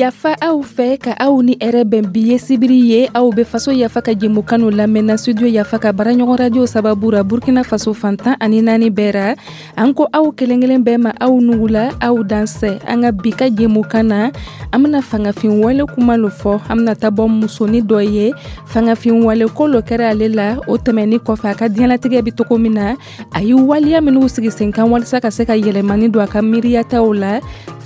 Yafa aw fɛ ka aw ni hɛrɛ bɛn. Bi ye sibiri ye, aw bɛ Faso Yafa ka jɛmukan lamɛnna Studio Yafa ka baaraɲɔgɔn radio sababu ra, Burkina Faso fantan ani naani bɛɛ ra. An ko aw kelen kelen bɛɛ ma, aw nugula, aw dansɛ. An ka bi ka jɛmukan na, an bena fangafin wale kuma lo fɔ. An bena ta bɔ musoni dɔ ye, fangafin wale ko lo kɛra ale la. O tɛmɛni kɔfɛ, a ka diɲɛlatigɛ bi togo min na, a ye waleya minw sigi sen kan walisa ka se ka yɛlɛmani don a ka miiriyataw la.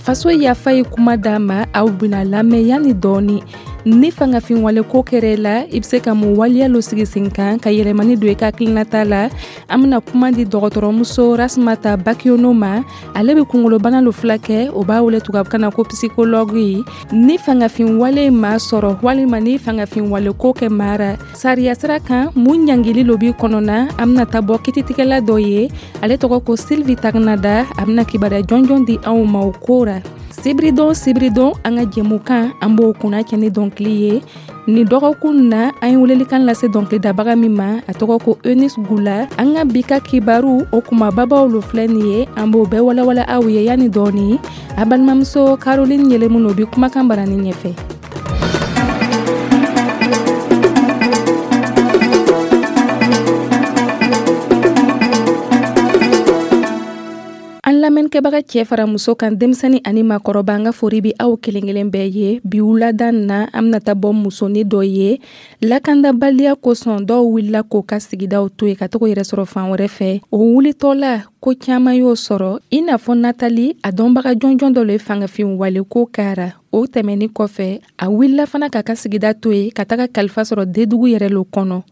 Faso Yafa ye kuma d'a ma, aw bena lamɛn yanni dɔɔni. Ni fangafin wale ko kɛra la, i be se ka mun waleya lo sigi sen kan ka yɛlɛmani don i ka hakilinata la? An bena kuma di dɔgɔtɔrɔmuso Rasmata Bakiono ma. Ale be kungolobana lo filakɛ, o b'a wele tubabukan na ko psychologue ye. Ni fangafin wale ma sɔrɔ walima ni fangafin wale ko kɛ mara sariya sira kan, mun ɲangili lo b'i kɔnɔna? An bena ta bɔ kititigɛla dɔ ye, ale tɔgɔ ko Sylvie Tagnada. A bena kibaruya jɔnjɔn di anw ma o ko ra. Sibiridon sibiridon, an ka jɛmukan, an b'o kunna cɛ ni dɔnkili ye. Nin dɔgɔkun na, an ye welelikan lase dɔnkilidabaga min ma, a tɔgɔ ko Eunice Gula. An ka bi ka kibaru, o kumababaw lo filɛ nin ye, an b'o bɛɛ walawala aw ye yanni dɔɔni. A balimamuso Caroline Yɛlɛmun o bi kumakan barani ɲɛfɛ. An lamɛnnikɛbaga cɛ fara muso kan, denmisɛnnin ani maakɔrɔba, an ka fori bi aw kelen kelen bɛɛ ye. Bi wulada na, an bɛna taa bɔ musonin dɔ ye. Lakandabaliya kosɔn, dɔw wulila k'o ka sigidaw to yen ka taga yɛrɛ sɔrɔ fan wɛrɛ fɛ. O wulitɔla, ko caman y'o sɔrɔ, i n'a fɔ Natali, a dɔnbaga jɔnjɔn dɔ le ye fangafin wale ko kɛra. O tɛmɛni kɔfɛ, a wulila fana k'a ka sigida to yen ka taga kalifa sɔrɔ dedugu yɛrɛ lo kɔnɔ.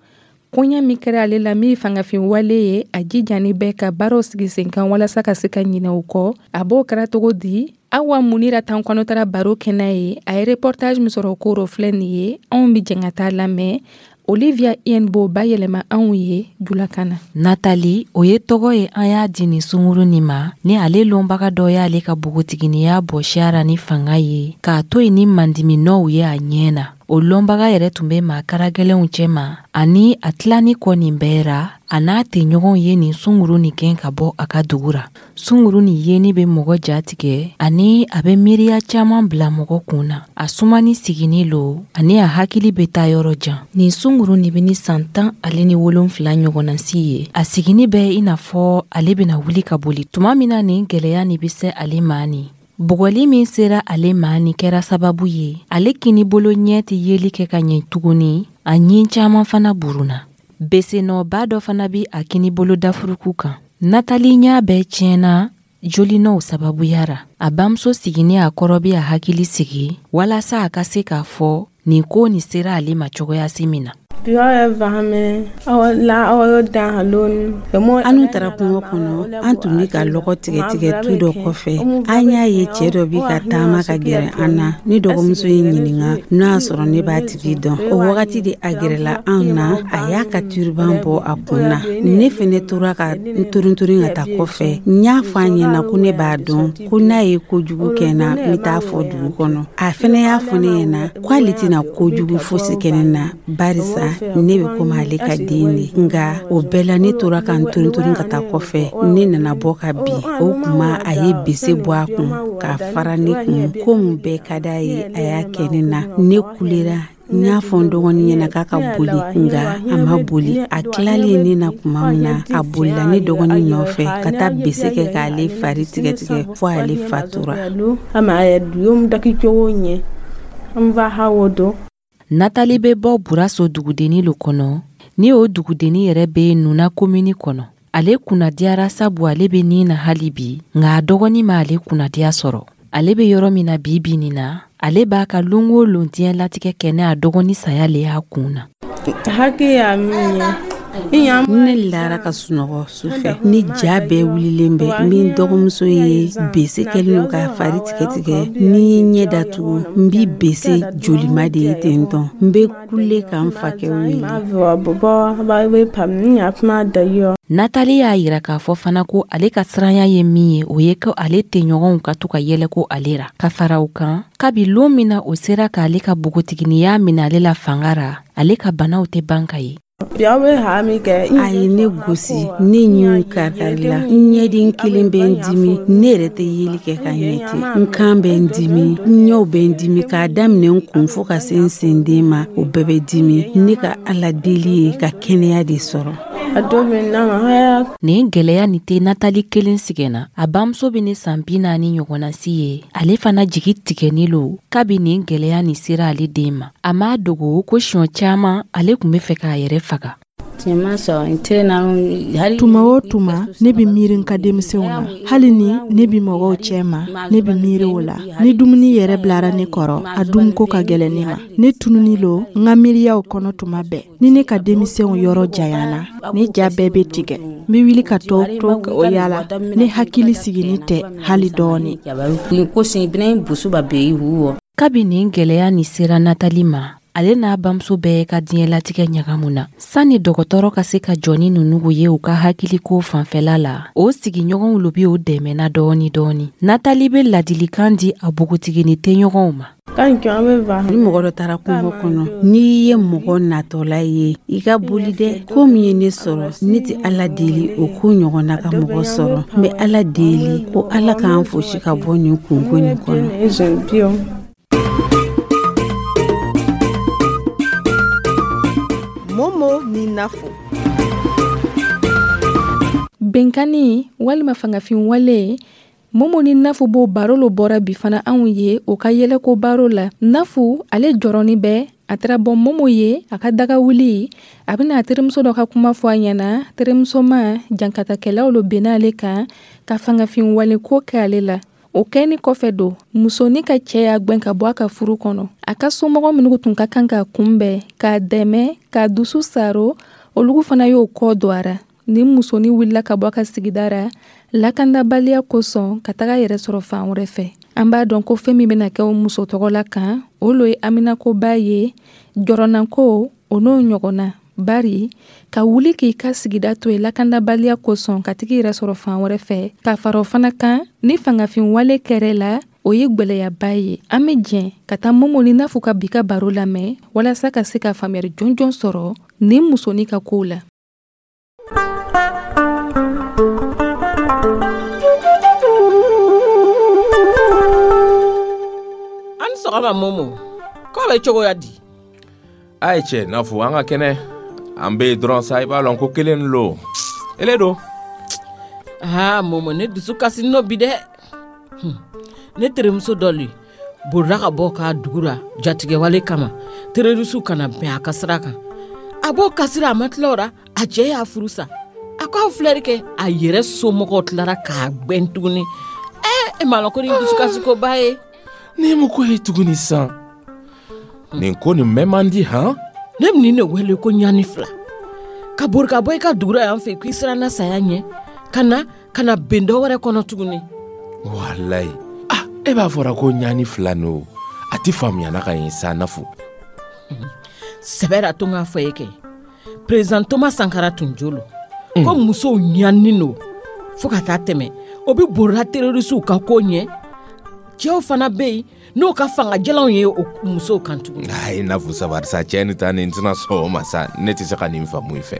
Koɲɛ min kɛra ale la, min ye fangafin wale ye, a jijani bɛɛ ka baaraw sigi sen kan walasa ka se ka ɲinɛ o kɔ. A b'o kɛra cogo di? Awa Munira tan kɔnɔ taara baro kɛnɛ ye, a ye reportage min sɔrɔ o ko rɔ filɛ nin ye. Anw bi jɛn ka taa lamɛn. Olivia Yen b'o bayɛlɛma anw ye julakan na. Natali, o ye tɔgɔ ye an y'a di nin sunguru nin ma, ni ale lɔnbaga dɔ y'ale ka bogotiginiya bɔsi a ra ni fanga ye, k'a to yen ni mandiminɔw ye a ɲɛ na. O lɔnbaga yɛrɛ tun bɛ maa karagɛlɛnw cɛma, ani a tilani kɔ nin bɛɛ ra, a n'a tɛɲɔgɔnw ye nin sunguru nin gɛn ka bɔ a ka dugu ra. Sunguru nin yeni bɛ mɔgɔ jatigɛ, ani a bɛ miiriya caman bila mɔgɔ kun na. A sumani sigini lo, ani a hakili bɛ taa yɔrɔ jan. Nin sunguru nin bɛ ni san 17 ɲɔgɔnna si ye. A sigini bɛ i n'a fɔ ale bɛna wuli ka boli tuma min na nin gɛlɛya nin bɛ se ale ma. Nin bugɔli min sera ale ma nin kɛra sababu ye, ale kinibolo ɲɛ tɛ yeli kɛ ka ɲɛ tuguni, a ɲin caman fana burunna. Besenɔba dɔ fana bɛ a kinibolo dafuruku kan. Natali ɲɛ bɛɛ tiɲɛna jolinɔw sababuya ra. A bamuso sigini a kɔrɔ bɛ a hakili sigi walasa a ka se k'a fɔ nin ko nin sera ale ma cogoya si min na. Anu taara kungo kɔnɔ, an tun bɛ ka lɔgɔ tigɛtigɛ tu dɔ kɔfɛ. An y'a ye cɛ dɔ bɛ ka taama ka gɛrɛ an na. Ne dɔgɔmuso ye ɲininka n'a y'a sɔrɔ ne b'a tigi dɔn. O wagati de a gɛrɛla anw na, a y'a ka turban bɔ a kun na. Ne fɛnɛ tora ka n torintorin ka taa kɔfɛ. N y'a fɔ a ɲɛna ko ne b'a dɔn, ko n'a ye kojugu kɛ n na, n bɛ taa fɔ dugu kɔnɔ. A fɛnɛ y'a fɔ ne ɲɛna k'ale tɛna kojugu fosi kɛ ne na, barisa ne bɛ komi ale ka den de. Nka o bɛɛ la, ne tora ka n torintorin ka taa kɔfɛ. Ne nana bɔ ka bin. O kuma, a ye bese bɔ a kun k'a fara ne kun. Ko mun bɛɛ ka d'a ye, a y'a kɛ ne na. Ne kulera, n y'a fɔ n dɔgɔnin ɲɛna k'a ka boli, nka a ma boli. A tilalen ne na tuma min na, a bolila ne dɔgɔnin nɔfɛ ka taa bese kɛ k'ale fari tigɛtigɛ fo ale fatura. Natali bɛ bɔ Buraso dugudenni lo kɔnɔ, ni o dugudenni yɛrɛ bɛ Nuna komini kɔnɔ. Ale kunnadiyara sabu ale bɛ nin na hali bi, nka a dɔgɔnin ma ale kunnadiya sɔrɔ. Ale bɛ yɔrɔ min na bi bi nin na, ale b'a ka lon o lon diɲɛlatigɛ kɛ ne a dɔgɔnin saya le y'a kun na. Ne lara ka sunɔgɔ su fɛ ni ja bɛɛ wulilen bɛ. Min dɔgɔmuso ye bese kɛlen don k'a fari tigɛtigɛ. Ni ye ɲɛ datugu, n bi bese jolima de ye ten tɔn. N bɛ kule ka n fakɛ wele. Natali y'a yira k'a fɔ fana ko ale ka siranya ye min ye, o ye ko ale tɛɲɔgɔnw ka to ka yɛlɛ ko ale ra. Ka fara o kan, kabi lon min na o sera k'ale ka bogotiginiya minɛ ale la fanga ra, ale ka banaw tɛ ban ka ye. A ye ne gosi, ne ɲinw karikarila, n ɲɛden kelen bɛ n dimi, ne yɛrɛ tɛ yeli kɛ ka ɲɛ ten, n kan bɛ n dimi, n ɲɛw bɛ n dimi, k'a daminɛ n kun fo ka se n senden ma, o bɛɛ bɛ dimi. Ne ka Ala deli ye ka kɛnɛya de sɔrɔ. Nin gwɛlɛya nin tɛ Natali kelen sigɛnna. A bamuso bɛ ni san 40 ɲɔgɔnna si ye. Ale fana jigi tigɛni lo kabi nin gwɛlɛya nin sera ale den ma. A m'a dogo ko siɲɔ caman ale tun bɛ fɛ k'a yɛrɛ faga. Tuma o tuma ne bɛ miiri n ka denmisɛnw na, hali ni ne bɛ mɔgɔw cɛ ma, ne bɛ miiri o la. Ni dumuni yɛrɛ bilara ne kɔrɔ, a dunko ka gɛlɛn ne ma. Ne tununi lo n ka miiriyaw kɔnɔ tuma bɛɛ. Ni ne ka denmisɛnw yɔrɔ janyana, ne ja bɛɛ bɛ tigɛ. N bɛ wuli ka tɔ to o yala. Ne hakili sigilen tɛ hali dɔɔni. Kabi nin gwɛlɛya nin sera Natali ma, ale n'a bamuso bɛɛ ka diɲɛlatigɛ ɲagamu na. Sanni dɔgɔtɔrɔ ka se ka jɔ ni ninnu ye u ka hakiliko fanfɛla la, o sigiɲɔgɔnw lo bi o dɛmɛna dɔɔni dɔɔni. Natali bɛ ladilikan di a npogotigini tɛɲɔgɔnw ma. Ni mɔgɔ dɔ taara kungo kɔnɔ, n'i ye mɔgɔ natɔla ye, i ka boli dɛ. Ko min ye ne sɔrɔ, ne tɛ Ala deli o ko ɲɔgɔnna ka mɔgɔ sɔrɔ. N bɛ Ala deli ko Ala k'an fosi ka bɔ nin kunko nin kɔnɔ. Momo ni Nafo. Benkanni walima fangafin wale, Momo ni Nafu b'o baro lo bɔra bi fana anw ye o ka yɛlɛko baro la. Nafu ale jɔrɔni bɛ, a taara bɔ Momo ye a ka daga wuli, a bɛna a terimuso dɔ ka kuma fɔ a ɲɛna. Terimuso ma jankatakɛlaw lo benna ale kan ka fangafin wale ko kɛ ale la. O kɛni kɔfɛ don, musonin ka cɛ y'a gwɛn ka bɔ a ka furu kɔnɔ. A ka somɔgɔ minnu tun ka kan k'a kunbɛn, k'a dɛmɛ, k'a dusu saro, olu fana y'o kɔ don a ra. Ni musonin wulila ka bɔ a ka sigida ra, lakandabaliya kosɔn ka taga yɛrɛ sɔrɔ fan wɛrɛ fɛ. An b'a dɔn ko fɛn min bɛna kɛ o muso tɔgɔ la kan, o lo ye haminakoba ye, jɔrɔnako, o n'o ɲɔgɔnna. Bari ka wuli k'i ka sigida to yen lakandabaliya kosɔn ka tigi yɛrɛ sɔrɔ fan wɛrɛ fɛ, ka fara o fana kan ni fangafin wale kɛrɛ la, o ye gwɛlɛyaba ye. An bɛ jɛn ka taa Momo ni Nafu ka bi ka baro lamɛn walasa ka se ka faamuyali jɔnjɔn sɔrɔ nin musonin ka kow la. An sɔgɔma Momo, k'o bɛ cogoya di? A ye cɛ Nafu, an ka kɛnɛ. An bɛ dɔrɔn sa, i b'a lɔn ko kelen lo. Ele do. Aa Momo, ne dusu kasi n'o bi dɛ. Ne terimuso dɔ le bolila ka bɔ k'a dugu la jatigɛwale kama, terrorisiw kana bɛn a ka sira kan. A b'o kasira, a ma tila o la, a cɛ y'a furu sa. A ko aw filɛri kɛ, a yɛrɛ somɔgɔw tilara k'a gwɛn tuguni. E m'a lɔn ko ni dusukasikoba ye. Ne mun ko ye tuguni san? Nin ko nin mɛn man di han? Ne bɛ nin de wele ko ɲani fila. Ka bori ka bɔ i ka dugu la yan fɛ k'i siranna saya ɲɛ, ka na ka na ben dɔ wɛrɛ kɔnɔ tuguni. Walayi. Ah, e b'a fɔra ko ɲani fila n'o. A ti faamuyana ka ɲɛ sa Nafu. Sɛbɛ la to n k'a fɔ e kɛ. Président Thomas Sankara tun jo lo. Ko musow ɲani no fo ka taa tɛmɛ. O bɛ borila terrorisiw ka ko ɲɛ. Cɛw fana bɛ yen n'o ka fangajalanw ye o musow kan tuguni. Ayi Nafu sabari sa, cɛ ni ta nin tɛna sɔn o ma sa, ne tɛ se ka nin faamu i fɛ.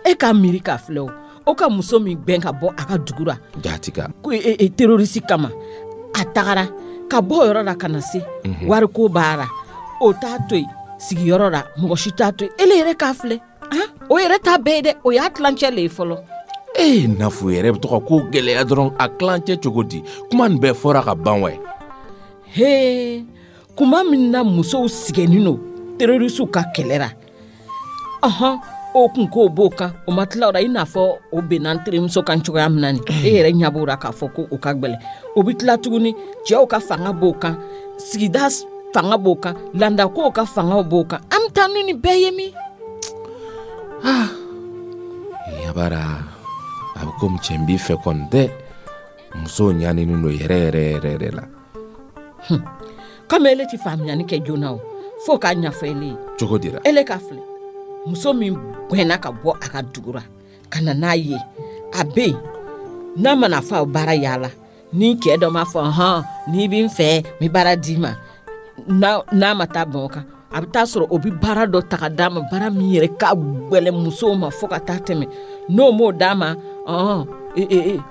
E k'a miiri k'a filɛ o, o ka muso min gbɛn ka bɔ a ka dugu la. Jaati ka. Ko terroriste kama, a tagara ka bɔ o yɔrɔ la ka na se. Wariko b'a la, o t'a to yen sigiyɔrɔ la, mɔgɔ si t'a to yen. Ele yɛrɛ k'a filɛ, han, o yɛrɛ t'a bɛɛ ye dɛ, o y'a tilancɛ le ye fɔlɔ. Ee Nafu yɛrɛ bɛ to ka ko gɛlɛya dɔrɔn, a tilancɛ cogo di? Kuma nin bɛɛ fɔra ka ban wɛ. Hee, kuma min na musow sigɛnnin no terrorisiw ka kɛlɛ la. Ɔhɔn, o kun k'o b'o kan, o ma tila o la, i n'a fɔ o benna n terimuso kan cogoya min na nin. E yɛrɛ ɲɛ b'o la k'a fɔ ko o ka gwɛlɛn. O bɛ tila tuguni, cɛw ka fanga b'o kan, sigida fanga b'o kan, landakow ka fangaw b'o kan. An bɛ taa ni nin bɛɛ ye min? Ah, yabara, a bɛ komi cɛ n b'i fɛ kɔni dɛ. Musow ɲaninen don yɛrɛ yɛrɛ yɛrɛ yɛrɛ la. Komi ele ti faamuyali kɛ joona o, fo k'a ɲɛfɔ ele ye. Cogo di la? Ele ka filɛ, muso min gwɛnna ka bɔ a ka dugu la ka na n'a ye, a bɛ yen, n'a mana fɔ a baara yaala, ni cɛ dɔ m'a fɔ hɔn n'i bɛ n fɛ n bɛ baara d'i ma, n'a ma taa bɛn o kan, A bɛ taa sɔrɔ o bɛ baara dɔ ta ka d'a ma, baara min yɛrɛ ka gwɛlɛn musow ma fo ka taa tɛmɛ. N'o m'o d'a ma,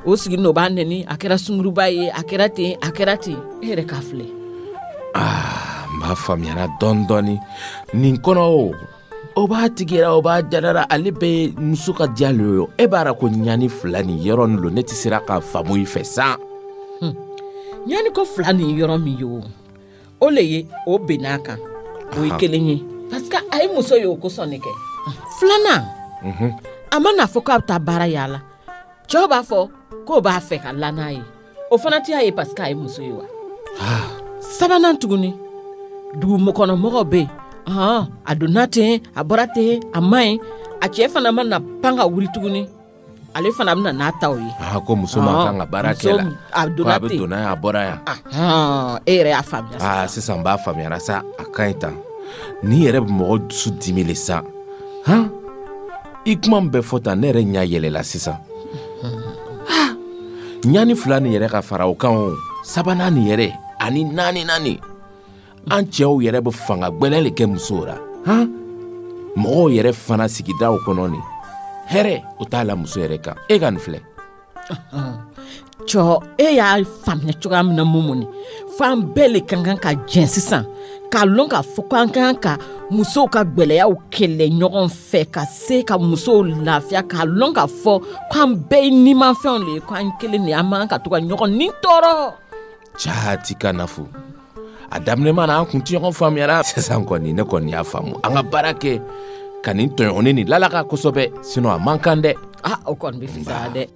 o sigilen o b'a nɛni, a kɛra sunguruba ye, a kɛra ten, a kɛra ten. E yɛrɛ k'a filɛ. Aa, n b'a faamuyara dɔɔni dɔɔni nin kɔnɔ. O b'a tigɛra, o b'a jarara, ale bɛ muso ka diya le ye. E b'a ra ko ɲani fila nin yɔrɔ nin lo, ne tɛ sera ka faamu i fɛ san. Ɲani ko fila nin yɔrɔ min ye, o le ye o bɛnn'a kan, o ye kelen ye, parce que a ye muso ye, o kosɔn ne kɛ. Filanan, a ma n'a fɔ k'a bɛ taa baara yaala, cɛw b'a fɔ k'o b'a fɛ ka la n'a ye, o fana tɛ y'a ye parce que a ye muso ye wa. Sabanan tuguni, dugu kɔnɔmɔgɔw bɛ yen, a donna ten, a bɔra ten, a ma ɲi. A cɛ fana ma na pan ka wuli tuguni, ale fana bɛna n'a taw ye. Ko muso ma kan ka baara kɛ la, a donna a bɛ donna yan, a bɔra yan. E yɛrɛ y'a faamuya. Aa, sisan n b'a faamuyara sa, a ka ɲi tan. Nin yɛrɛ bɛ mɔgɔ dusu dimi le sa. Han, i kuma min bɛ fɔ tan, ne yɛrɛ ɲɛ yɛlɛla sisan. Ɲani fila nin yɛrɛ ka fara o kan, o sabanan nin yɛrɛ ani naaninan nin, an cɛw yɛrɛ bɛ fanga gbɛlɛ le kɛ musow la. Han, mɔgɔw yɛrɛ fana sigidaw kɔnɔ nin hɛrɛ o t'a la muso yɛrɛ kan. E ka nin filɛ. Cɔ, e y'a faamuya cogoya min na, Mumuni, f'an bɛɛ le ka kan ka jɛn sisan k'a lɔn k'a fɔ k'an ka kan ka musow ka gwɛlɛyaw kɛlɛ ɲɔgɔn fɛ, ka se ka musow lafiya, k'a lɔn k'a fɔ k'an bɛɛ ye nimafɛnw le ye, k'an kelen de, an man kan ka to ka ɲɔgɔn ni tɔɔrɔ. Jaati ka nafu a daminɛ mana, an kun tɛ ɲɔgɔn faamuyara. Sisan kɔni, ne kɔni y'a faamu, an ka baara kɛ ka nin tɔɲɔgɔnni nin lalaka kosɛbɛ, sinon a man kan dɛ. Ah, o kɔni bɛ fisaya dɛ.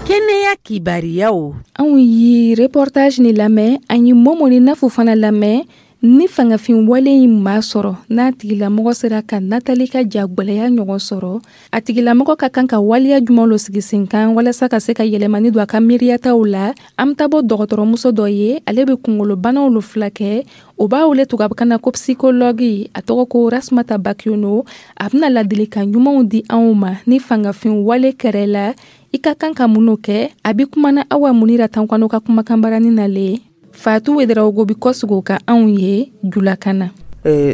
Kɛnɛya kibariyaw. Anw ye reportage ni lamɛn, an ye Momo ni Nafu fana lamɛn. Ni fangafin wale in maa sɔrɔ, n'a tigilamɔgɔ sera ka Natali ka jagwɛlɛya ɲɔgɔn sɔrɔ, a tigilamɔgɔ ka kan ka waleya jumɛn lo sigi sen kan walasa ka se ka yɛlɛmani don a ka miiriyataw la? An bɛ taa bɔ dɔgɔtɔrɔmuso dɔ ye, ale bɛ kunkolobanaw lo filakɛ, o b'a wele tubabukan na ko psychologue, a tɔgɔ ko Rasmata Bakiono. A bɛna ladilikan ɲumanw di anw ma ni fangafin wale kɛrɛ la, i ka kan ka minnu kɛ. A bɛ kumana Awa Munira Tankwano ka kumakan barani nalen. Fatou Ouedraogo bi kɔsigi ka anw ye julakan na.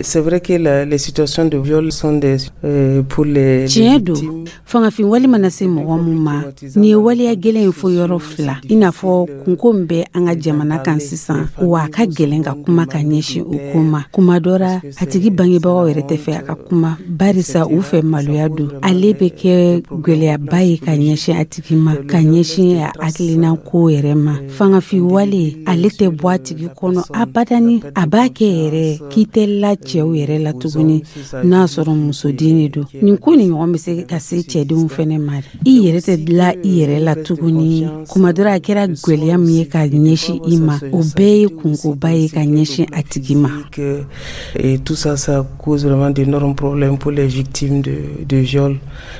C'est vrai que les situations de viol sont des pour les Tiɲɛ don, fangafin wale mana se mɔgɔ mun ma, nin ye waleya gɛlɛn ye fo yɔrɔ fila, i n'a fɔ kunko min bɛ an ka jamana kan sisan, wa a ka gɛlɛn ka kuma ka ɲɛsin o ko ma. Kuma dɔ ra, a tigi bangebagaw yɛrɛ tɛ fɛ a ka kuma, barisa u fɛ maloya don. Ale bɛ kɛ gwɛlɛyaba ye ka ɲɛsin a tigi ma, ka ɲɛsin a hakilina ko yɛrɛ ma. Fangafin wale, ale tɛ bɔ a tigi kɔnɔ abadani. A b'a kɛ yɛrɛ k'i tɛ la cɛw yɛrɛ la tuguni, n'a sɔrɔ musoden de don. Nin ko ni ɲɔgɔn bɛ se ka se cɛdenw fɛnɛ ma, i yɛrɛ tɛ la i yɛrɛ la tuguni. Kuma dɔ la, a kɛra gwɛlɛya min ye ka ɲɛsin i ma, o bɛɛ ye kunkoba ye ka ɲɛsin a tigi ma. Et tout ça, ça cause vraiment d'énormes problèmes pour les victimes de viol.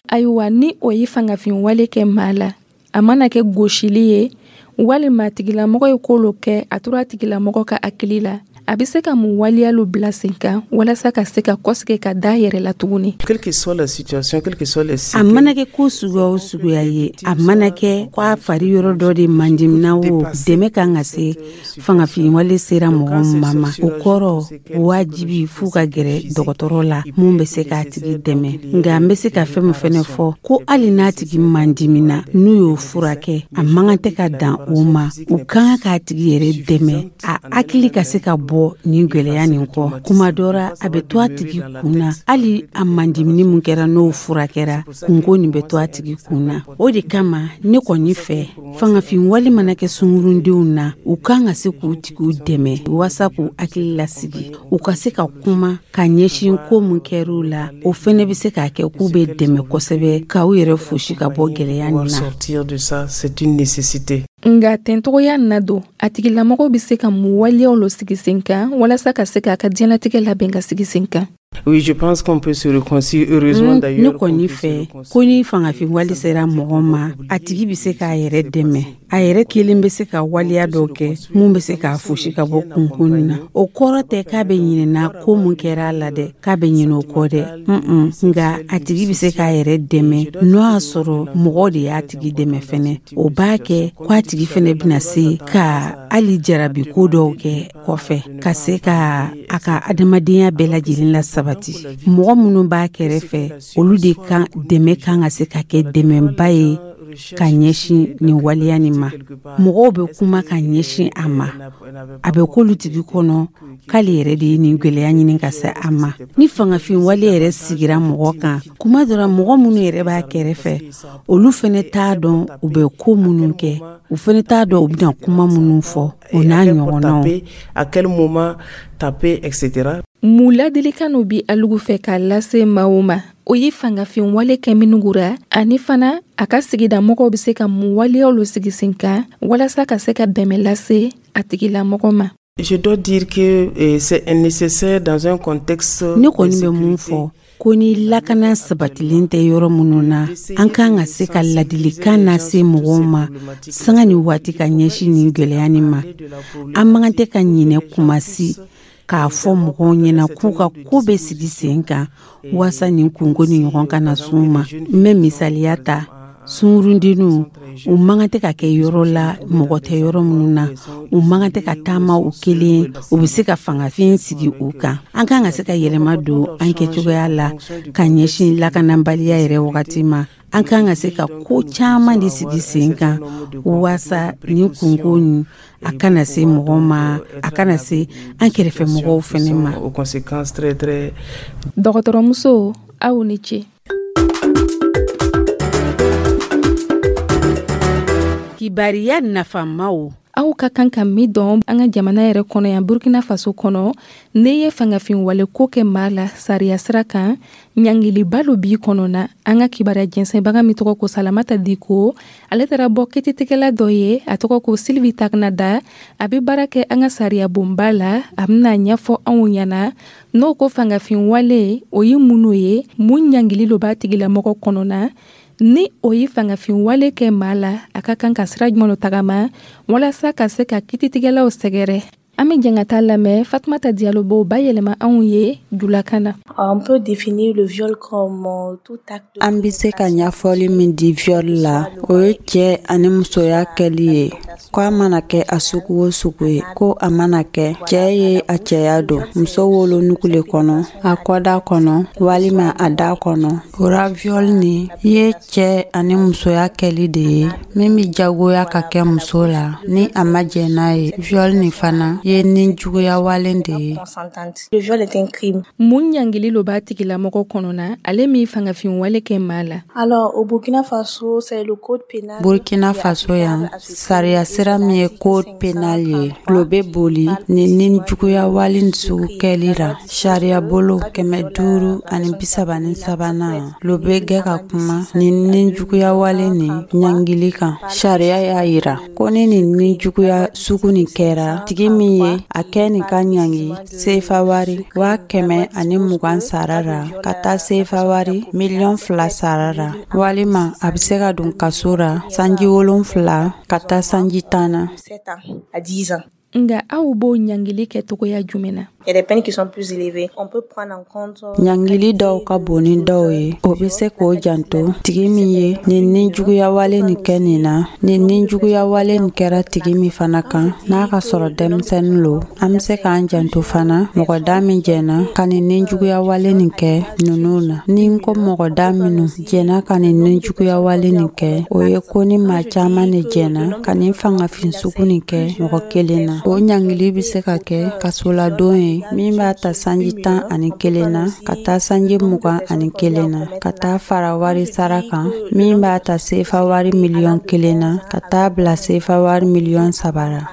Ayiwa, ni o ye fangafin wale kɛ maa la, a mana kɛ gosili ye walima tigilamɔgɔ ye ko lo kɛ, a tora a tigilamɔgɔ ka hakili la, a bɛ se ka mun waleya lo bila sen kan walasa ka se ka kɔsigi ka da yɛrɛ la tuguni? Quelle que soit la situation, quelle que soit les A mana kɛ ko suguya o suguya ye, a mana kɛ ko a fari yɔrɔ dɔ de mandimina o, dɛmɛ kan ka se fangafin wale sera mɔgɔ min ma, o kɔrɔ wajibi f'u ka gɛrɛ dɔgɔtɔrɔ la mun bɛ se k'a tigi dɛmɛ. Nka n bɛ se ka fɛn min fɛnɛ fɔ, ko hali n'a tigi mandimina, n'u y'o furakɛ, a man kan tɛ ka dan o ma. U kan k'a tigi yɛrɛ dɛmɛ, a hakili ka se ka bɔ nin gwɛlɛya nin kɔ. Kuma dɔ ra, a bɛ to a tigi kun na, hali a mandimini mun kɛra, n'o furakɛra, kunko nin bɛ to a tigi kun na. O de kama ne kɔni fɛ, fangafin wale mana kɛ sungurundenw na, u kan ka se k'u tigiw dɛmɛ walasa k'u hakili lasigi, u ka se ka kuma ka ɲɛsin ko mun kɛr'u la. O fɛnɛ bɛ se k'a kɛ k'u bɛ dɛmɛ kosɛbɛ k'aw yɛrɛ fosi ka bɔ gwɛlɛya nin na. Sortir de ça, c'est une nécessité. Nka tɛntogoya na don, a tigilamɔgɔ bɛ se ka mun waleyaw lo sigi sen kan walasa ka se k'a ka diɲɛlatigɛ labɛn ka sigi sen kan? Oui, je pense qu'on peut se réconcilier, heureusement d'ailleurs. Ne kɔni fɛ ko ni fangafin wale sera mɔgɔ ma, a tigi bɛ se k'a yɛrɛ dɛmɛ. A yɛrɛ kelen bɛ se ka waleya dɔw kɛ mun bɛ se k'a fosi ka bɔ kunkun na. O kɔrɔ tɛ k'a bɛ ɲinɛna ko mun kɛra a la dɛ, k'a bɛ ɲinɛ o kɔ dɛ. Nka a tigi bɛ se k'a yɛrɛ dɛmɛ n'o y'a sɔrɔ mɔgɔ de y'a tigi dɛmɛ fɛnɛ. O b'a kɛ ko a tigi fɛnɛ bɛna se ka hali jarabi ko dɔw kɛ kɔfɛ, ka se ka a ka adamadenya bɛɛ lajɛlen la sabati. Mɔgɔ minnu b'a kɛrɛfɛ, olu de kan dɛmɛ kan ka se ka kɛ dɛmɛba ye ka ɲɛsin nin waleya nin ma. Mɔgɔw bɛ kuma ka ɲɛsin a ma, a bɛ k'olu tigi kɔnɔ k'ale yɛrɛ de ye nin gwɛlɛya ɲini ka se a ma. Ni fangafin wale yɛrɛ sigira mɔgɔ kan, kuma dɔ la, mɔgɔ minnu yɛrɛ b'a kɛrɛfɛ, olu fɛnɛ t'a dɔn u bɛ ko minnu kɛ, u fɛnɛ t'a dɔn u bɛna kuma minnu fɔ, o n'a ɲɔgɔnnaw. À quel moment taper, etc. Mun ladilikan no bi alugu fɛ k'a lase maaw ma, o ye fangafin wale kɛ minnu ra, ani fana a ka sigida mɔgɔw bɛ se ka mun waleyaw lo sigi sen kan walasa ka se ka dɛmɛ lase a tigilamɔgɔ ma? Je dois dire que c'est nécessaire dans un contexte. Ne kɔni bɛ mun fɔ, ko ni lakana sabatilen tɛ yɔrɔ minnu na, an kan ka se ka ladilikan lase mɔgɔw ma sanga ni waati ka ɲɛsin nin gwɛlɛya nin ma. An man kan tɛ ka ɲinɛ kuma si k'a fɔ mɔgɔw ɲɛna k'u ka ko bɛ sigi sen kan waasa nin kunko ni ɲɔgɔn kana s'u ma. N bɛ misaliya ta, sunkurundenninw, u man kan tɛ ka kɛ yɔrɔ la mɔgɔ tɛ yɔrɔ minnu na, u man kan tɛ ka taama u kelen, u bɛ se ka fangafin sigi u kan. An kan ka se ka yɛlɛma don an kɛcogoya la ka ɲɛsin lakanabaliya yɛrɛ wagati ma. An kan ka se ka ko caman de sigi sen kan waasa nin kunko nin a kana se mɔgɔ ma, a kana se an kɛrɛfɛ mɔgɔw fɛnɛ ma. Dɔgɔtɔrɔmuso, aw ni ce. Kibariya nafamaw. Aw ka kan ka min dɔn an ka jamana yɛrɛ kɔnɔ yan, Burkina Faso kɔnɔ, n'i ye fangafin wale ko kɛ maa la sariya sira kan, ɲangiliba lo b'i kɔnɔ na. An ka kibaruya jɛnsɛnbaga min tɔgɔ ko Salamata Diko, ale taara bɔ kititigɛla dɔ ye, a tɔgɔ ko Sylvie Tagnada. A bɛ baara kɛ an ka sariya bonba la. A bɛna ɲɛfɔ anw ɲɛna n'o ko fangafin wale, o ye mun ye, mun ɲangili lo b'a tigilamɔgɔ kɔnɔ na. Ni o ye fangafin wale kɛ maa la, a ka kan ka sira jumɛn tagama walasa ka se ka kititigɛlaw sɛgɛrɛ? An bɛ jɛn ka taa lamɛn. Fatumata Diallo b'o bayɛlɛma anw ye julakan na. On peut définir le viol comme tout acte. An bɛ se ka ɲɛfɔli min di viol la, o ye cɛ ani musoya kɛli ye, ko a mana kɛ a sugu o sugu ye, ko a mana kɛ cɛ ye a cɛya don muso wolonugu le kɔnɔ, a kɔda kɔnɔ walima a da kɔnɔ. O ra viol nin ye cɛ ani musoya kɛli de ye min bɛ jagoya ka kɛ muso la ni a ma jɛn n'a ye. Viol nin fana ye ni juguya wale de ye. Le viol est un crime. Mun ɲangili lo b'a tigilamɔgɔ kɔnɔ na, ale min fangafin wale kɛ maa la? Alors, au Burkina Faso, c'est le code pénal. Burkina Faso yan, sariya sira min ye code pénal ye, lo bɛ boli nin juguya wale nin sugu kɛli ra. Sariya bolo 533nan lo bɛ gɛ ka kuma nin juguya wale nin ɲangili kan. Sariya y'a yira ko ni nin juguya sugu nin kɛra, tigi min ye a kɛ nin ka ɲangi sefa wari 120,000 sara ra ka taa sefa wari 2 miliyɔn sara ra, walima a bɛ se ka don kaso ra sanji 7 ka taa sanji 10 na. Nga aw b'o ɲangili kɛ togoya jumɛn na? Il y a des peines qui sont plus élevées. On peut prendre en compte. Ɲangili dɔw ka bon ni dɔw ye, o bɛ se k'o janto tigi min ye nin juguya wale nin kɛ nin na. Nin juguya wale nin kɛra tigi min fana kan, n'a ka sɔrɔ denmisɛnnin lo, an bɛ se k'an janto fana mɔgɔ da min jɛnna ka nin juguya wale nin kɛ ninnu na. Ni n ko mɔgɔ da minnu jɛnna ka nin juguya wale nin kɛ, o ye ko ni maa caman de jɛnna ka nin fangafin sugu nin kɛ mɔgɔ kelen na. O ɲangili bɛ se ka kɛ kasoladon ye min b'a ta sanji 11 na ka taa sanji 21 na, ka taa fara wari sara kan min b'a ta sefa wari 1 miliyɔn na ka taa bila sefa wari 3 miliyɔn la.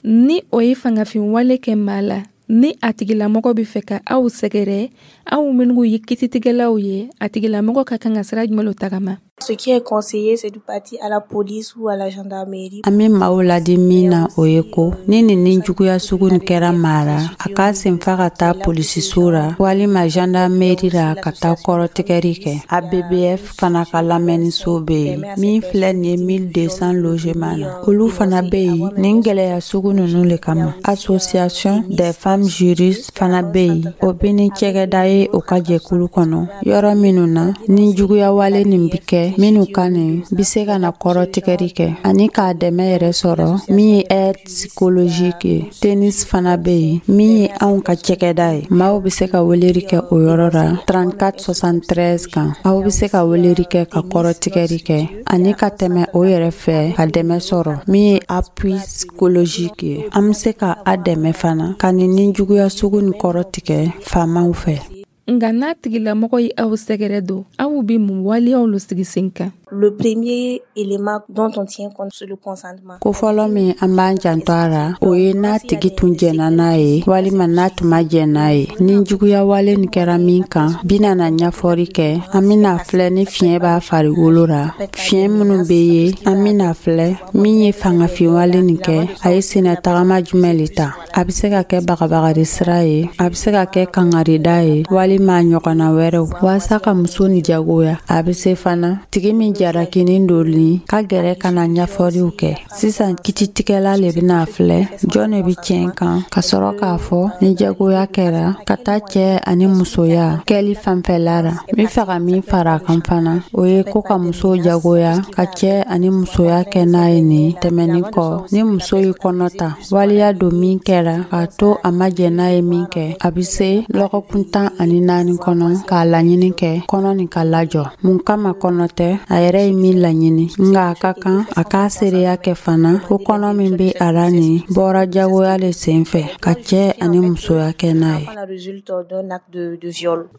Ni o ye fangafin wale kɛ maa la, ni a tigilamɔgɔ bɛ fɛ ka aw sɛgɛrɛ, aw minnu ye kititigɛlaw ye, a tigilamɔgɔ ka kan ka sira jumɛn tagama? Ce qui est conseillé, c'est de partir à la police ou à la gendarmerie. An bɛ maaw ladi min na, o ye ko ni nin nijuguya sugu nin kɛra maa ra, a k'a senfa ka taa polisiso ra walima gendarmerie ra ka taa kɔrɔtigɛri kɛ. ABBF fana ka lamɛnniso bɛ yen min filɛ nin ye 1200 logement na, olu fana bɛ yen nin gwɛlɛya sugu ninnu le kama. Association des femmes juristes fana bɛ yen, o bɛ ni cɛgɛda ye o ka jɛkulu kɔnɔ, yɔrɔ minnu na ni juguyawale nin bi kɛ minnu kan nin bi se ka na kɔrɔtigɛri kɛ ani k'a dɛmɛ yɛrɛ sɔrɔ min ye aide psychologique ye. Tennis fana bɛ yen min ye anw ka cɛgɛda ye. Maaw bɛ se ka weleri kɛ o yɔrɔ ra 34 73 kan. Aw bɛ se ka weleri kɛ ka kɔrɔtigɛri kɛ ani ka tɛmɛ o yɛrɛ fɛ ka dɛmɛ sɔrɔ min ye appui psychologique ye. An bɛ se ka a dɛmɛ fana ka nin nijuguya sugu nin kɔrɔ tigɛ faamaw fɛ. Nga n'a tigilamɔgɔ ye aw sɛgɛrɛ don, aw be mun waleyaw lo sigi sen kan? Le premier élément dont on tient compte, c'est le consentement. Ko fɔlɔ min an b'an janto a ra, o ye n'a tigi tun jɛnna n'a ye walima n'a tun ma jɛn n'a ye. Ni juguya wale nin kɛra min kan, bina na ɲɛfɔri kɛ. An bɛna filɛ ni fiɲɛ b'a farikolo ra, fiɲɛ minnu bɛ ye. An bɛna filɛ min ye fangafinwale nin kɛ, a ye senna tagama jumɛn le ta. A bɛ se ka kɛ bagabagari sira ye, a bɛ se ka kɛ kangarida ye walima ɲɔgɔnna wɛrɛw waasa ka muso ni jagoya. A bɛ se fana tigi min jarakinin don nin ka gɛrɛ ka na ɲɛfɔliw kɛ. Sisan kititigɛla le bɛna filɛ jɔn de bɛ tiɲɛ kan ka sɔrɔ k'a fɔ ni jagoya kɛra ka taa cɛ ani musoya kɛli fanfɛla ra. N bɛ fɛ ka min fara a kan fana, o ye ko ka musow jagoya ka cɛ ani musoya kɛ n'a ye nin tɛmɛnin kɔ, ni muso y'i kɔnɔ ta waleya don min kɛra k'a to a ma jɛn n'a ye min kɛ, a bɛ se lɔgɔkun 14 kɔnɔ k'a laɲini kɛ kɔnɔ nin ka lajɔ. Mun kama kɔnɔ tɛ, a yɛrɛ ye min laɲini, nka a ka kan a k'a seereya kɛ fana ko kɔnɔ min bɛ a la nin bɔra jagoya le sen fɛ ka cɛ ani musoya kɛ n'a ye.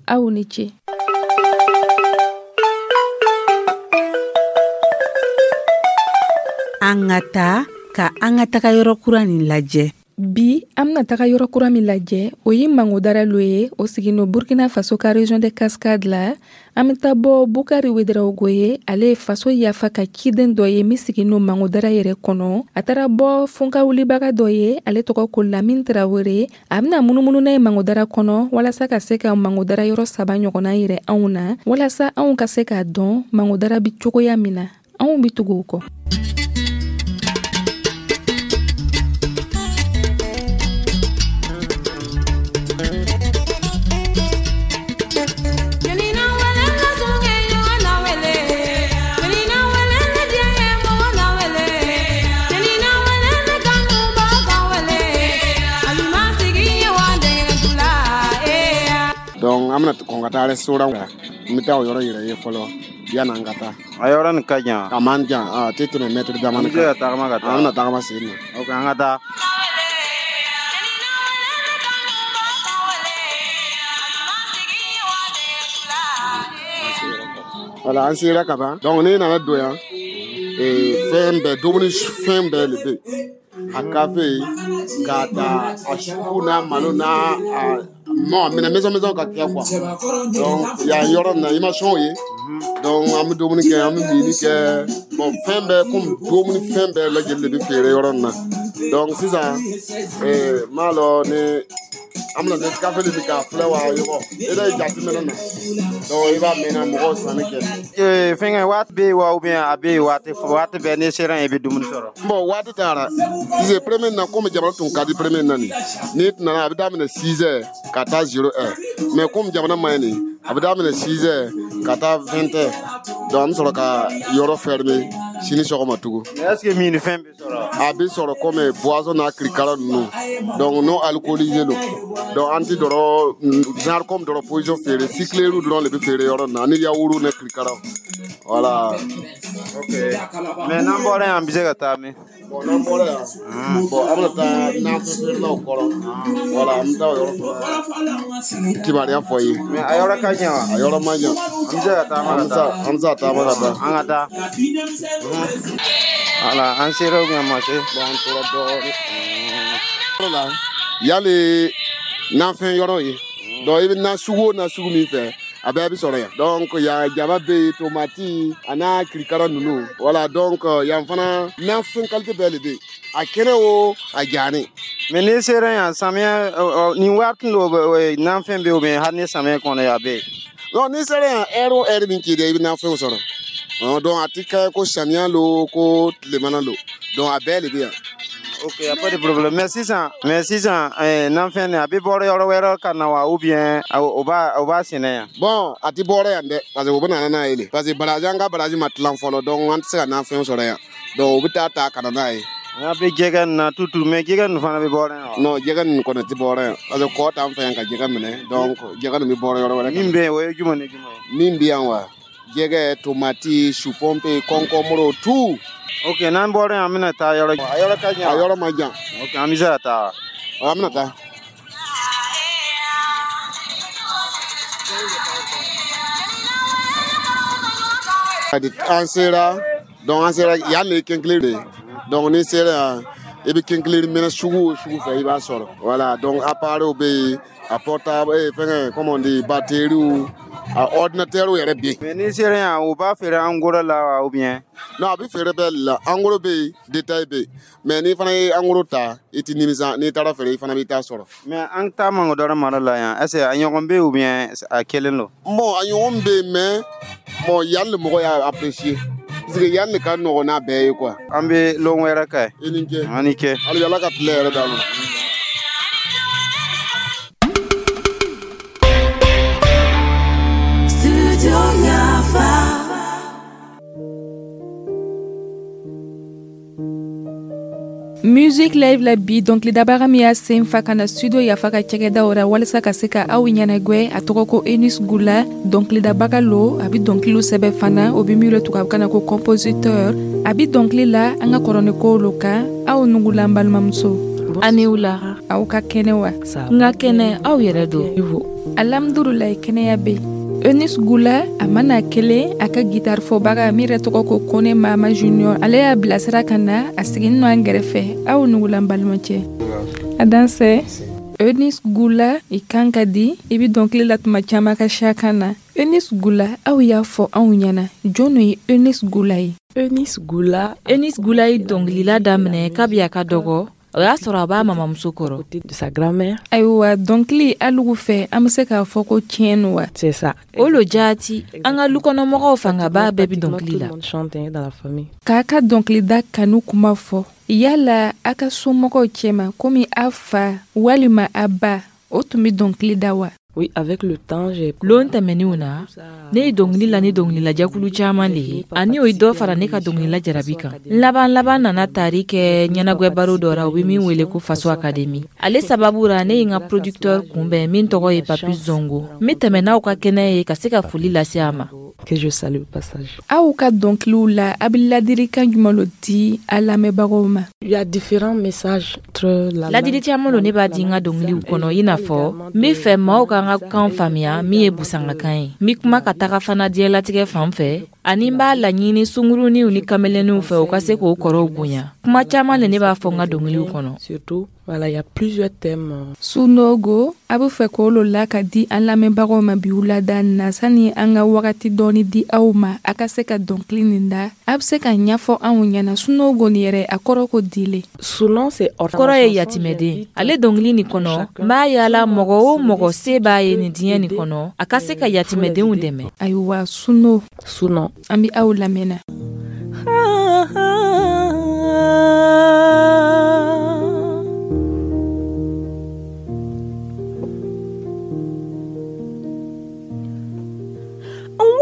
Aw ni ce. An ka taa ka an ka taga yɔrɔ kura nin lajɛ. Bi an bena taga yɔrɔ kura min lajɛ, o ye Mangodara lo ye, o sigino Burkina Faso ka région de Cascade la. An be taa bɔ Bukari Wedarawogo ye, ale ye faso yafa ka ciden dɔ ye min sigino Mangodara yɛrɛ kɔnɔ. A taara bɔ funka wulibaga dɔ ye, ale tɔgɔ ko Lamin Tarawele. A bena munumunu n'a ye Mangodara kɔnɔ walasa ka se ka Mangodara yɔrɔ 3 ɲɔgɔnna yɛrɛ anw na, walasa anw ka se k'a dɔn Mangodara bi cogoya min na. Anw bi tugu o kɔ. Donc an bɛna kɔn ka taa restaurant la, n bɛ taa o yɔrɔ yɛrɛ ye fɔlɔ yanni an ka taa. A yɔrɔ nin ka jan. A man jan, a tɛ tɛmɛ mètre damani kan. An bɛ se ka tagama ka taa. An bɛna tagama sen na. Ok, an ka taa. Voilà, an sera ka ban. Donc ne nana don yan, fɛn bɛɛ, dumuni fɛn bɛɛ de bɛ yen. A kafe k'a ta a suku n'a malo n'a a mɔ minɛ maison maison ka kɛ quoi. Donc yan yɔrɔ nin na i ma sɔn o ye. Donc an bɛ dumuni kɛ, an bɛ mini kɛ. Bon, fɛn bɛɛ komi dumuni fɛn bɛɛ lajɛlen de bɛ feere yɔrɔ nin na. Donc sisan n m'a lɔn ni an bɛna Nescafé de k'a filɛ wa yɔrɔ e bɛ jateminɛ na. Donc i b'a mɛn na mɔgɔw sanni kɛ. Fɛnkɛ waati bɛ yen wa ou bien a bɛ yen waati bɛɛ n'i sera yen i bɛ dumuni sɔrɔ? Bon, waati taara. Parce que premier na komi jamana tun ka di premier na nin, n'i nana a bɛ daminɛ 6 heures ka taa 0 heure. Mais komi jamana ma ɲi nin, a bɛ daminɛ 6 heures ka taa 20 heures. Donc an bɛ sɔrɔ ka yɔrɔ fermer sini sɔgɔma tugun. Mais est ce que min fɛn bɛ sɔrɔ? A bɛ sɔrɔ komi boisson n'a kirikara ninnu. Donc non alcoolisé don. Donc an ti dɔrɔn genre comme dɔrɔn position feere, sucreries dɔrɔn de bɛ feere yɔrɔ nin na ani yaourt ni kirikaraw. Voilà. Ok. Mais n'an bɔra yan, an bɛ se ka taa min? Bon, n'an bɔra yan, bon, an bɛna taa nafɛn feerelaw kɔrɔ. Voilà, an bɛ taa o yɔrɔ fana kibaruya fɔ i ye. Mais a yɔrɔ ka jan wa? A yɔrɔ man jan. An bɛ se ka taama ka taa. An bɛ se ka taama ka taa. An ka taa. Voilà, an sera ou bien ma se? Bon, an tora dɔɔnin. Yɔrɔ la, yali nafɛn yɔrɔ ye. Donc i bɛ na sugu o na sugu min fɛ, A bɛɛ bɛ sɔrɔ yan. Donc yan jaba bɛ yen, tomati a n'a kirikara ninnu. Voilà, donc yan fana nafɛn qualité bɛɛ de bɛ yen. A kɛnɛ o, a jani. Mais n'i sera yan samiya nin waati lo nafɛn bɛ yen ou bien hali ni samiya kɔnɔ a bɛ yen? Non, n'i sera yan heure o heure min k'i diya i bɛ nafɛnw sɔrɔ. Donc a ti kɛ ko samiya lo ko tilemana lo. Donc a bɛɛ de bɛ yan. Ok, y a pas de problème. Mais sisan nafɛn nin a bɛ bɔ yɔrɔ wɛrɛ ka na wa ou bien o b'a sɛnɛ yan? Bon, a ti bɔra yan dɛ, parce que u bɛ na n'a ye de. Parce que baraji an ka baraji ma tilan fɔlɔ, donc an tɛ se ka nafɛn sɔrɔ yan. Donc u bɛ taa ta ka na n'a ye. An bɛ jɛgɛ nin na tutu, mais jɛgɛ nin fana bɛ bɔra yan wa? Non, jɛgɛ nin kɔni tɛ bɔra yan. Parce que kɔ t'an fɛ yan ka jɛgɛ minɛ, donc jɛgɛ nin bɛ bɔra yɔrɔ wɛrɛ. Min bɛ yen o ye jumɛn ni jumɛn ye? Min bɛ yan wa? Jɛgɛ, tomati, chou pompé, concombre, tout. Ok, n'an bɔra yan an bɛna taa yɔrɔ. A yɔrɔ ka jan. A yɔrɔ ma jan. Ok, an bɛ se ka taa. An bɛna taa. An sera, donc an sera yan de ye Kinkeleyiri de ye. Donc n'i sera yan, i bɛ Kinkeleyiri minɛ sugu o sugu fɛ i b'a sɔrɔ. Voilà, donc appareil bɛ yen, a portable fɛngɛ comment on dit, batterie, a ordinateur yɛrɛ bɛ yen. Mais n'i sera yan u b'a feere en gros la wa ou bien? Non, a bɛ feere bɛɛ de la. En gros bɛ yen, détail bɛ yen. Mais n'i fana ye en gros ta, i tɛ nimisa, n'i taara feere i fana b'i ta sɔrɔ. Mais an ta Mangodɔrɔ mara la yan, est ce que a ɲɔgɔn bɛ yen ou bien a kelen don? Bon, a ɲɔgɔn bɛ yen, mais bon yan de mɔgɔ y'a apprécier. Parce que yan de ka nɔgɔn n'a bɛɛ ye quoi. An bɛ lon wɛrɛ kɛ. I ni ce. An ni ce. Hali Ala ka tile yɛrɛ d'an ma. Music Live la bi dɔnkilidabaga min y'a sen fa ka na studio Yafa ka cɛgɛdaw ra walasa ka se ka aw ɲɛnagwɛ, a tɔgɔ ko Eunice Gula. Dɔnkilidabaga lo, a bi dɔnkiliw sɛbɛ fana, o bi min lo tubabukan na ko compositeur. A bi dɔnkili la an ka kɔrɔnikow lo kan. Aw nugula n balimamuso. Ani wula. Aw ka kɛnɛ wa? N ka kɛnɛ, aw yɛrɛ don? Alhamdulilayi, kɛnɛya bɛ. Eunice Gula a mana kelen a ka guitare fɔbaga min yɛrɛ tɔgɔ ko Kone Mama Junior, ale y'a bilasira ka na a siginin nɔ an gɛrɛfɛ. Aw nugula n balimacɛ. A dansɛ. Eunice Gula, i kan ka di, i bi dɔnkili la tuma caman ka siya kan na. Eunice Gula, aw y'a fɔ anw ɲɛna jɔn ye Eunice Gula ye? Eunice Gula ye dɔnkilila daminɛ kabi a ka dɔgɔ. O y'a sɔrɔ a b'a mamamuso kɔrɔ. Ayiwa, dɔnkili alugu fɛ an bɛ se k'a fɔ ko tiɲɛ no wa? O lo jaati, an ka lukɔnɔmɔgɔw fangaba bɛɛ bɛ dɔnkili la. K'a ka dɔnkilida kanu kuma fɔ, yala a ka somɔgɔw cɛma komi a fa walima a ba, o tun bɛ dɔnkili da wa? Oui, avec le temps, j'ai... Lon tɛmɛninw na, ne ye dɔnkili la ni dɔnkililajɛkulu caman de ye, ani o ye dɔ fara ne ka dɔnkilila jarabi kan. N laban nana tari kɛ ɲɛnagwɛ baro dɔ ra, u bɛ min wele ko Faso Académie. Ale sababu ra, ne ye n ka producteur kunbɛn min tɔgɔ ye Papus Zongo. N bɛ tɛmɛ n'aw ka kɛnɛ ye ka se ka foli lase a ma. Que je salue au passage. Aw ka dɔnkiliw la, a bɛ ladilikan jumɛn lo di a lamɛnbagaw ma? Il y a différents messages entre la ladili caman lo ne b'a di n ka dɔnkiliw kɔnɔ, i n'a fɔ n bɛ fɛ maaw ka n ka kan faamuya min ye busangakan ye. N bɛ kuma ka taga fana diɲɛlatigɛ fan fɛ, ani n b'a laɲini sunguruninw ni kameleniw fɛ u ka se k'o kɔrɔw bonya. Kuma caman le ne b'a fɔ n ka dɔnkiliw kɔnɔ. Surtout, voilà, il y a plusieurs thèmes. Sunogo, a bɛ fɛ k'o lo la ka di an lamɛnbagaw ma bi wulada na, sani an ka wagati dɔɔni di aw ma a ka se ka dɔnkili nin da. A bɛ se ka ɲɛfɔ anw ɲɛna Sunogo nin yɛrɛ a kɔrɔ ko di le? Sunon, c'est kɔrɔ ye yatimɛden. Ale dɔnkili nin kɔnɔ, n b'a yala mɔgɔ o mɔgɔ se b'a ye nin diɲɛ nin kɔnɔ, a ka se ka yatimɛdenw dɛmɛ. Ayiwa, Suno. Sunon. An bɛ aw lamɛnna.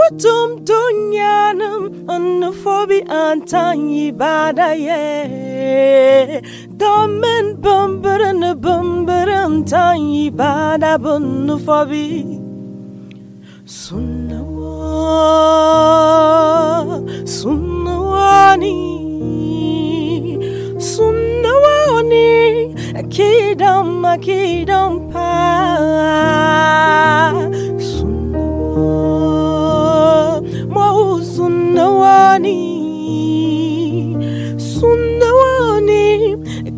Watum dunyanum onufobi antan ibada ye Domen bumberin bumberin tan ibada bunufobi Sunnawa sunnawani sunnawani akidam akidam pa Sunnawani, sunnawani,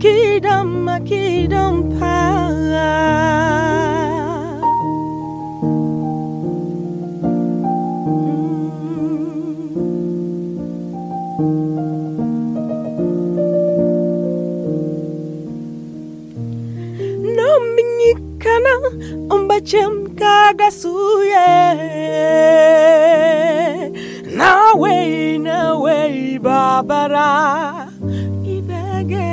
kidam kidam pa. Umbachem kagasuye. Nawe nawe babara. Ibege.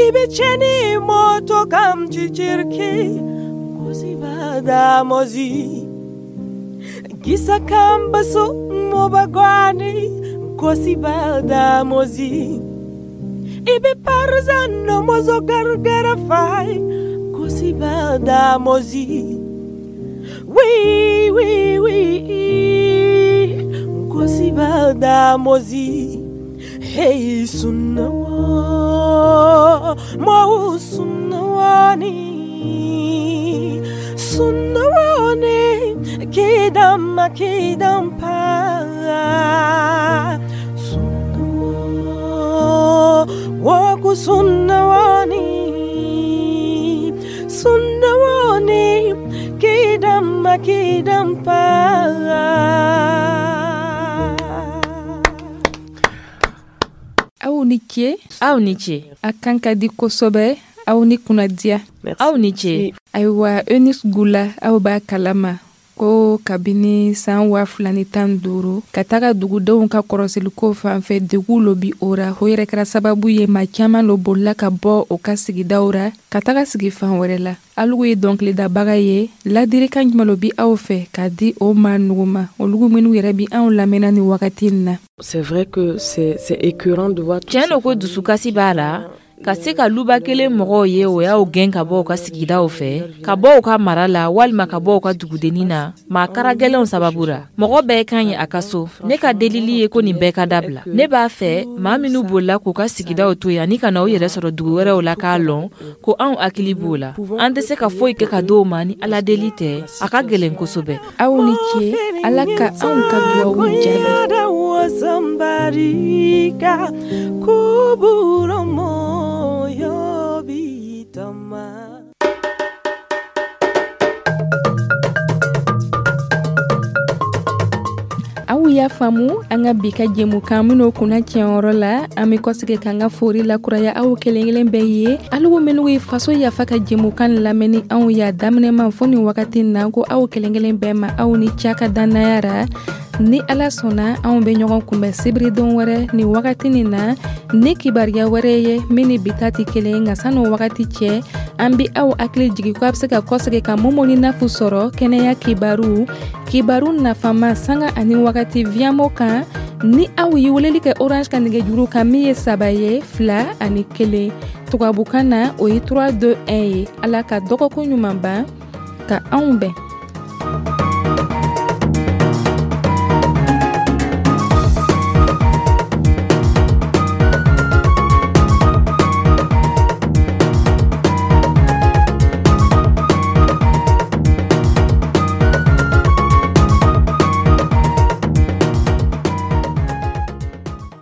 Ibecheni moto kam chichirki. Kosibada mozi. Gisa kambasu mobagwani. Kosibada mozi. Ibe parzano mozo gargara fai. Kosibada mozi. Oui, oui, oui. Kosibada mozi. Hey, sunawa. Mo sunawani. Sunawani. Kidam kidam pa. Sunawa. Waku sunawani. Sunawani. Kidam kidam pa. Aw ni ce. Aw ni ce. A kan ka di kosɛbɛ. Aw ni kunnadiya. Aw ni ce. Ayiwa, Eunice Gula, aw b'a kalama ko kabini san 2015 ka taga dugudenw ka kɔrɔsiliko fan fɛ, degun lo bi o ra. O yɛrɛ kɛra sababu ye maa caman lo bolila ka bɔ o ka sigidaw ra ka taga sigi fan wɛrɛ la. Alugu ye dɔnkilidabaga ye. Ladirikan jumɛn lo bi aw fɛ k'a di o maa nugu ma, olugu minnu yɛrɛ bi anw lamɛnna ni wagati in na? C'est vrai que c'est écœurant de voir. Tiɲɛ lo ko dusukasi b'a la ka se ka luba kelen mɔgɔw ye o y'aw gɛn ka bɔ u ka sigidaw fɛ, ka bɔ u ka mara la walima ka bɔ u ka dugudennin na maa kara gɛlɛnw sababu ra. Mɔgɔ bɛɛ ka ɲi a ka so. Ne ka delili ye ko nin bɛɛ ka dabila. Ne b'a fɛ maa minnu bolila k'u ka sigidaw to yen ani ka na u yɛrɛ sɔrɔ dugu wɛrɛw la, k'a lɔn ko anw hakili b'o la. An tɛ se ka foyi kɛ ka d'o ma ni Ala deli tɛ. A ka gɛlɛn kosɛbɛ. Aw ni ce. Ala ka anw ka duwawu jaabi. Aw y'a faamu, an ka bi ka jɛmukan minnu kunna tiɲɛyɔrɔ la, an bɛ kɔsigi k'an ka fori lakuraya aw kelen kelen bɛɛ ye. Alugu minnu ye faso yafa ka jɛmukan lamɛnni anw y'a daminɛ ma fo nin wagati na, ko aw kelen kelen bɛɛ ma aw ni ca ka dannaya ra. Ni Ala sɔnna, anw bɛ ɲɔgɔn kunbɛn sibiridon wɛrɛ nin wagati nin na ni kibaruya wɛrɛ ye min ni bi ta tɛ kelen. Nka san'o wagati cɛ, an bɛ aw hakili jigin ko a bɛ se ka kɔsegin ka Mumuni Nafu sɔrɔ kɛnɛya kibaru, kibaru nafama, sanga ani wagati Viamo kan, ni aw ye weleli kɛ Orange ka nɛgɛjuru kan min ye 3 ye 2 ani 1, tubabukan na o ye 3 2 1 ye. Ala ka dɔgɔkun ɲuman ban ka anw bɛn.